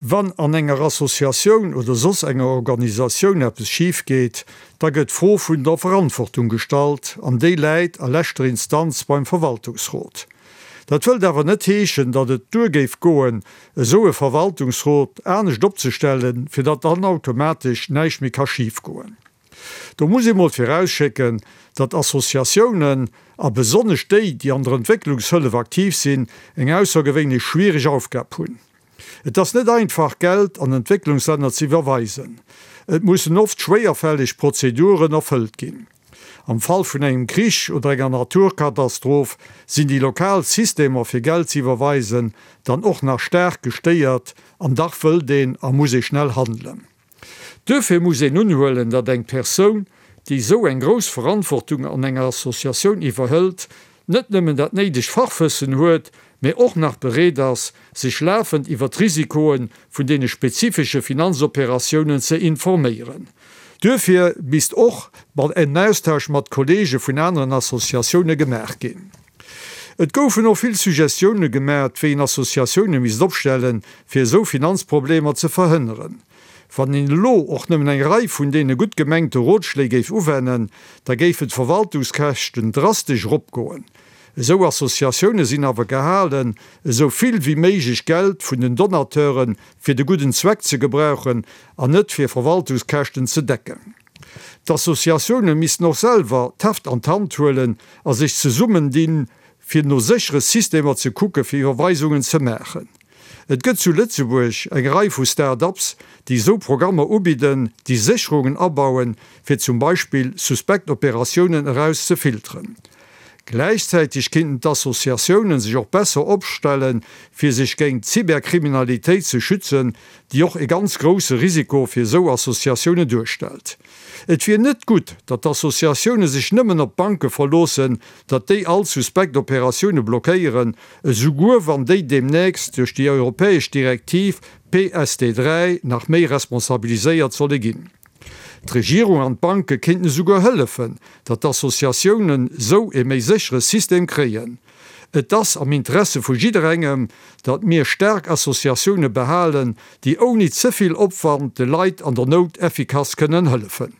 Wann an enger Associatioun oder soss enger Organisatioun eppes schif geet, da gëtt d'Fro vun der Verantwortung gestallt an déi läit a leschter Instanz beim Verwaltungsrot. Dat wëllt awer net heeschen, datt et duer géif goen, esou e Verwaltungsrot anescht opzestellen, fir datt dann automatesch näischt méi ka schif goen. Do muss ee mol virausschécken, datt Associatiounen, a besonnesch déi, déi an der Entwécklungshëllef aktiv sinn, eng aussergewéinlech schwiereg Aufgab hunn. Et ass net einfach, Geld an Entwécklungslänner ze iwwerweisen. Et mussen oft schwéierfälleg Prozeduren erfëllt ginn. Am Fall vun engem Krich oder enger Naturkatastroph sinn déi lokal Systemer fir Geld ze iwwerweisen dann och nach staark gestéiert an dach wëllt een a muss ee schnell handelen. Duerfir muss een unhuelen, datt eng Persoun, déi esou eng grouss Verantwortung an enger Associatioun iwwerhëlt, net nëmmen dat néidegt Fachwëssen huet, mä och nach bereet ass, sech lafend iwwer d'Risikoe vun deene spezifesche Finanzoperatiounen ze informéieren. Duerfir misst och en Austausch mat Kollege vun aneren Associatioune gemaach ginn. Et goufen och vill Suggestioune gemat, wéi een Associatioune misst opstellen, fir esou Finanzproblemer ze verhënneren. Wann een elo och nëmmen eng Rei vun deene gutt gemengte Rotschléi géif uwennen, da géifen d'Verwaltungskäschten drastesch eropgoen. Esou Associatioune sinn awer gehalen, esou vill wéi méiglech Geld vun den Donateure fir de gudden Zweck ze gebrauchen an net fir Verwaltungskäschten ze decken. D'Associatioune missten och selwer d'Heft an d'Hand huelen a sech zesummendinn, fir no séchere Systemer ze kucke fir Iwwerweisungen ze maachen. Et gëtt zu Lëtzebuerg eng Rei vu Start-ups, déi esou Programmer ubidden, déi Sécherungen abauen, fir zum Beispill suspekt Operatiounen eraus ze filteren. Gläichzäiteg kinnten d'Associatiounen sech och besser opstellen, fir sech géint d'Cyberkriminalitéit ze schützen, déi och e ganz grousse Risiko fir esou Associatiounen duerstellt. Et wier net gutt, datt d'Associatioune sech nëmmen op d'Banke verloossen, datt déi all suspekt Operatioune blockéieren, esouguer wann déi deemnächst duerch déi europäesch Direktiv PSD 3 nach méi responsabiliséiert solle ginn. D'Regierung an d'Banke kéinten esouguer hëllefen, datt d'Associatiounen esou e méi séchere System kréien. Et ass am Interesse vu jidderengem, datt mir staark Associatioune behalen, déi ouni ze vill Opwand de Leit an der Nout effikass kënnen hëllefen.